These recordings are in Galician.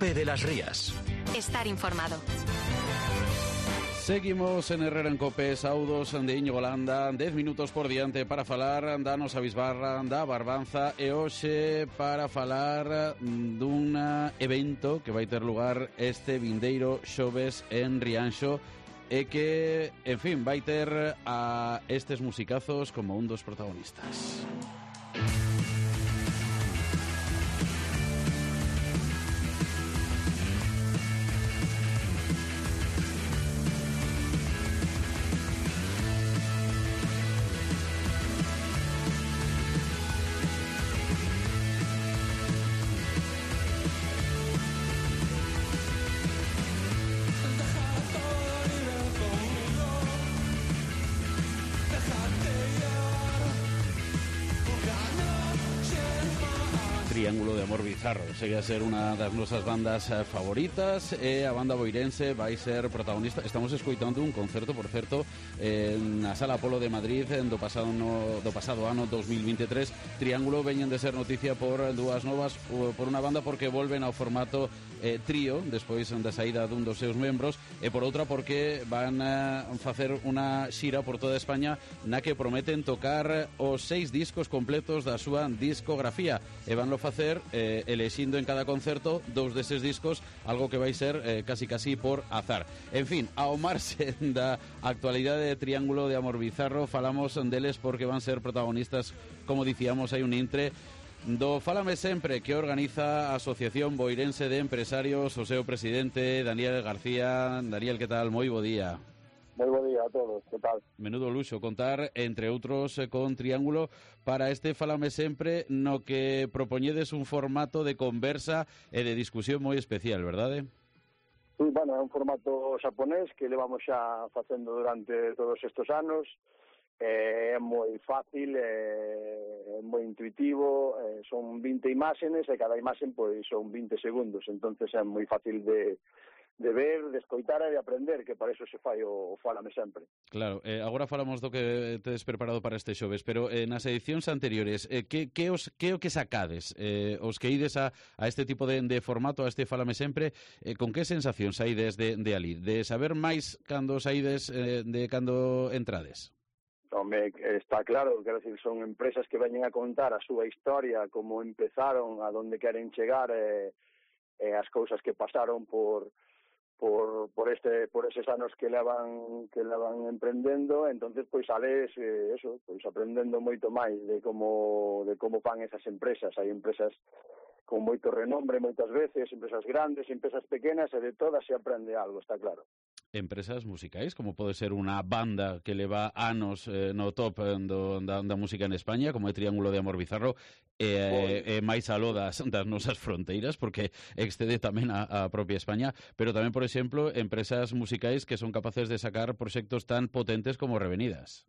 COPE de las Rías. Estar informado. Seguimos en Herrera en COPE, saudos de Íñigo Landa, 10 minutos por diante para falar da nosa bisbarra, da Barbanza, e hoxe para falar dun evento que vai ter lugar este vindeiro xoves en Rianxo e que, en fin, vai ter a estes musicazos como un dos protagonistas. Triángulo de Amor Bizarro segue a ser unha das nosas bandas favoritas e a banda boirense vai ser protagonista. Estamos escoitando un concerto, por certo, na Sala Apolo de Madrid do pasado ano 2023. Triángulo veñen de ser noticia por dúas novas, por unha banda porque volven ao formato trío despois da saída dun dos seus membros e por outra porque van a facer unha xira por toda España na que prometen tocar os 6 discos completos da súa discografía e vanlo facer elexindo en cada concerto 2 deses discos, algo que vai ser casi por azar. En fin, ao marxe da actualidade de Triángulo de Amor Bizarro, falamos deles porque van ser protagonistas, como dicíamos, hai un intre do Fálame Sempre, que organiza a Asociación Boirense de Empresarios, o seu presidente, Daniel García. Daniel, que tal? Moi bo día. Moi bo día a todos, que tal? Menudo luxo contar, entre outros, con Triángulo para este Fálame Sempre, no que propoñedes un formato de conversa e de discusión moi especial, verdade? Sí, bueno, é un formato xaponés que levamos xa facendo durante todos estes anos. É moi fácil, é moi intuitivo, son 20 imágenes e cada imaxen pois son 20 segundos, entonces é moi fácil de ver, de escoitar e de aprender, que para eso se fai o Fálame Sempre. Claro, agora falamos do que tedes preparado para este xoves, pero nas edicións anteriores, que o que sacades? Os que ides a este tipo de formato, a este Fálame Sempre, con que sensación saídes de ali? De saber máis cando saídes de cando entrades? Home, está claro, quero decir, son empresas que veñen a contar a súa historia, como empezaron, a donde queren chegar, as cousas que pasaron por eses anos que levan emprendendo. Entonces pois sales pois aprendendo moito máis de como fan esas empresas. Hai empresas con moito renombre moitas veces, empresas grandes, empresas pequenas, e de todas se aprende algo, está claro. Empresas musicais, como pode ser unha banda que leva anos no top da música en España, como é Triángulo de Amor Bizarro, e máis aló das nosas fronteiras, porque excede tamén a propia España, pero tamén, por exemplo, empresas musicais que son capaces de sacar proxectos tan potentes como Revenidas.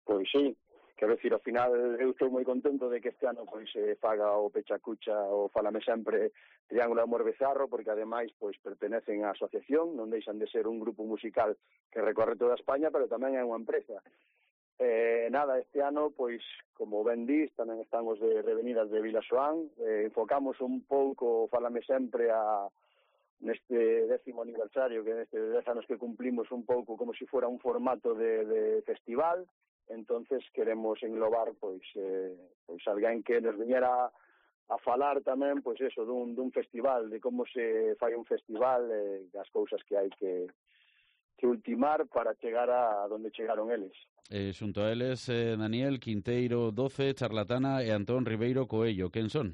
Pois sí, quero decir, ao final eu estou moi contento de que este ano pois se faga o Pechacucha, o Fálame Sempre, Triángulo de Amor Bizarro, porque ademais pois pertenecen á asociación, non deixan de ser un grupo musical que recorre toda España, pero tamén é unha empresa. Este ano, pois, como ben dís, tamén están os de Revenidas de Vilasoán, enfocamos un pouco o Fálame Sempre neste 10º aniversario, que neste 10 anos que cumplimos, un pouco como se fora un formato de festival. Entonces queremos englobar pois alguén que nos viñera a falar tamén pois eso dun festival, de como se fai un festival, das cousas que hai que ultimar para chegar a donde chegaron eles. Xunto a eles, Daniel Quinteiro 12, Charlatana e Antón Ribeiro Coello, quen son?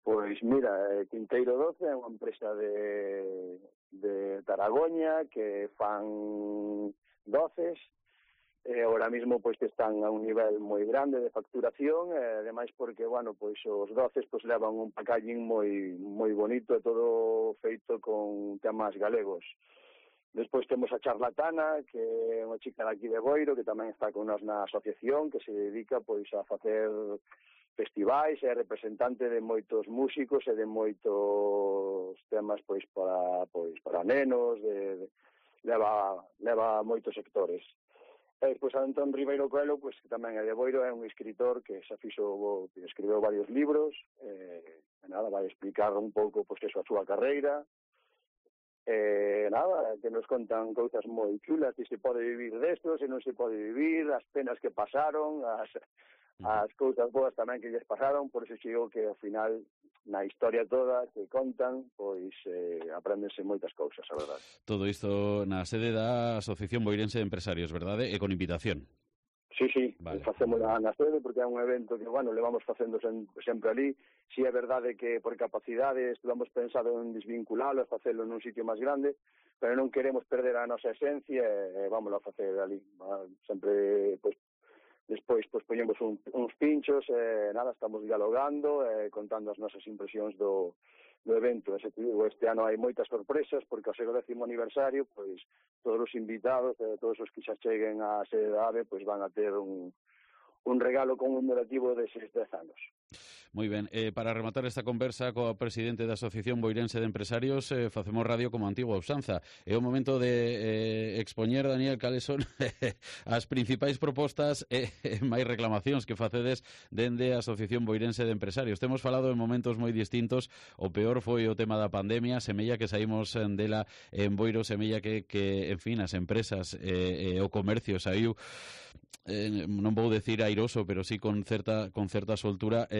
Pois mira, Quinteiro 12 é unha empresa de Taragoña que fan doces. Ahora mismo pois que están a un nivel moi grande de facturación, ademais porque, bueno, pois os doces pois levan un packaging moi bonito, e todo feito con temas galegos. Despois temos a Charlatana, que é unha chica daqui de Boiro, que tamén está con nós na asociación, que se dedica pois a facer festivais, é representante de moitos músicos e de moitos temas pois para nenos, leva moitos sectores. E despois Antón Ribeiro Coelho, pois, que tamén é de Boiro, é un escritor que xa escribeu varios libros, nada, vai explicar un pouco, pois, eso, a súa carreira, nada, que nos contan cousas moi chulas, se se pode vivir desto, se non se pode vivir, as penas que pasaron, as cousas boas tamén que lles pasaron, por iso digo que ao final na historia toda que contan, pois apréndense moitas cousas, a verdade. Todo isto na sede da Asociación Boirense de Empresarios, verdade? E con invitación. Sí, vale. Facemos na sede porque é un evento que, bueno, levamos facendo sempre ali. Si é verdade que por capacidade estuvamos pensado en desvinculalo, facelo nun sitio máis grande, pero non queremos perder a nosa esencia e vámonos a facer ali. Sempre, pois, despois poñemos uns pinchos, nada, estamos dialogando, contando as nosas impresións do evento. Este ano hai moitas sorpresas, porque ao seu 10º aniversario, pois, todos os invitados, todos os que xa cheguen á sede da AVE, pois van a ter un regalo conmemorativo deses 10 anos. Moi ben, para rematar esta conversa coa presidente da Asociación Boirense de Empresarios, facemos radio como antigua usanza. É o momento de expoñer, Daniel, cales son as principais propostas e máis reclamacións que facedes dende a Asociación Boirense de Empresarios. Temos falado en momentos moi distintos, o peor foi o tema da pandemia, semella que saímos dela en Boiro, semella que en fin, as empresas e o comercio saiu, non vou decir airoso, pero sí con certa soltura.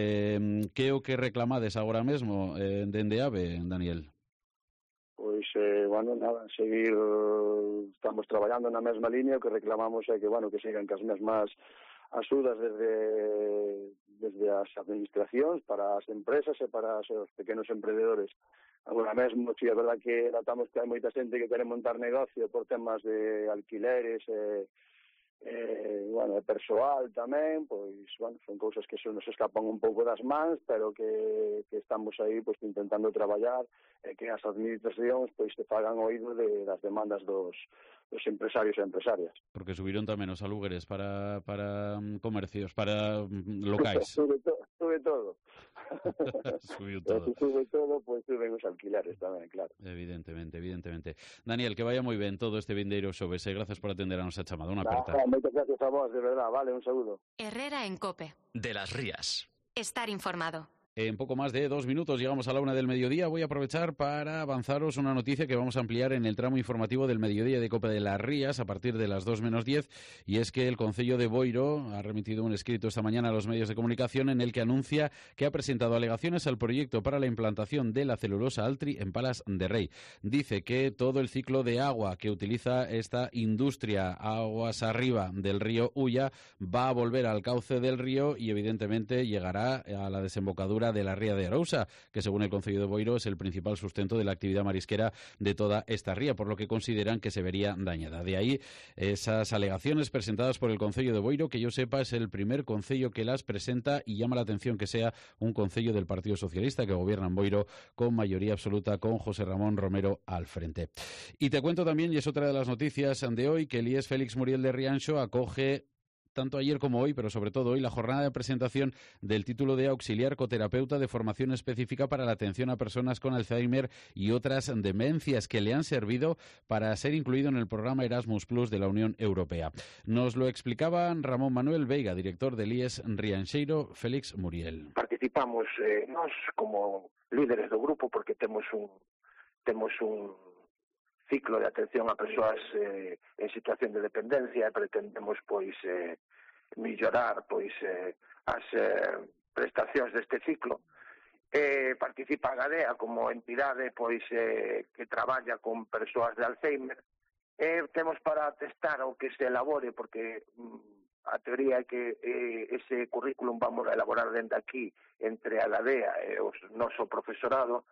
Que é o que reclamades agora mesmo dende AVE, Daniel? Pois, bueno, nada, seguir, estamos traballando na mesma línea, o que reclamamos é que, bueno, que sigan cas mesmas axudas desde as administracións para as empresas e para os pequenos emprendedores. Agora mesmo, sí, é verdad que notamos que hai moita xente que quere montar negocio por temas de alquileres bueno, persoal tamén, pois, bueno, son cousas que se nos escapan un pouco das mans, pero que estamos aí, pois, intentando traballar e que as administracións, pois, se fagan oído das demandas dos empresarios e empresarias. Porque subiron tamén os alugueres para comercios, para locais. Sube todo. Subiu todo. Sube todo, pois suben os alquileres tamén, claro. Evidentemente. Daniel, que vaya moi ben todo este vindeiro xoves, gracias por atender a nosa chamada. Unha aperta. Moitas gracias a vos, de verdad, vale, un saúdo. Herrera en COPE. De las Rías. Estar informado. En poco más de 2 minutos llegamos a la 1 del mediodía. Voy a aprovechar para avanzaros una noticia que vamos a ampliar en el tramo informativo del mediodía de COPE de las Rías a partir de las 2 menos 10, y es que el Concello de Boiro ha remitido un escrito esta mañana a los medios de comunicación en el que anuncia que ha presentado alegaciones al proyecto para la implantación de la celulosa Altri en Palas de Rei. Dice que todo el ciclo de agua que utiliza esta industria aguas arriba del río Ulla va a volver al cauce del río y evidentemente llegará a la desembocadura de la ría de Arousa, que según el Concello de Boiro es el principal sustento de la actividad marisquera de toda esta ría, por lo que consideran que se vería dañada. De ahí esas alegaciones presentadas por el Concello de Boiro, que yo sepa es el primer concello que las presenta, y llama la atención que sea un concello del Partido Socialista que gobierna en Boiro con mayoría absoluta, con José Ramón Romero al frente. Y te cuento también, y es otra de las noticias de hoy, que el IES Félix Muriel de Rianxo acoge tanto ayer como hoy, pero sobre todo hoy, la jornada de presentación del título de auxiliar coterapeuta de formación específica para la atención a personas con Alzheimer y otras demencias, que le han servido para ser incluido en el programa Erasmus Plus de la Unión Europea. Nos lo explicaba Ramón Manuel Veiga, director del IES Rianxeiro Félix Muriel. Participamos nós como líderes do grupo porque temos un ciclo de atención a persoas en situación de dependencia e pretendemos mellorar as prestacións deste ciclo. Participa a Gadea como entidade que traballa con persoas de Alzheimer. Temos para testar o que se elabore, porque a teoría é que ese currículum vamos a elaborar dende aquí entre a Gadea e o noso profesorado,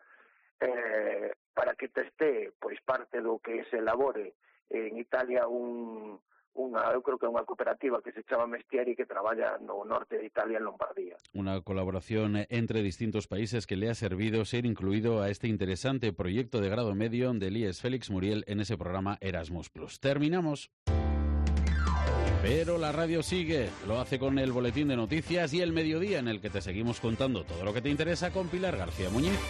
para que teste parte do que se elabore en Italia eu creo que é unha cooperativa que se chama Mestieri, que traballa no norte de Italia, en Lombardía. Una colaboración entre distintos países que le ha servido ser incluido a este interesante proyecto de grado medio del IES Félix Muriel en ese programa Erasmus Plus. Terminamos. Pero la radio sigue, lo hace con el boletín de noticias y el mediodía, en el que te seguimos contando todo lo que te interesa con Pilar García Muñiz.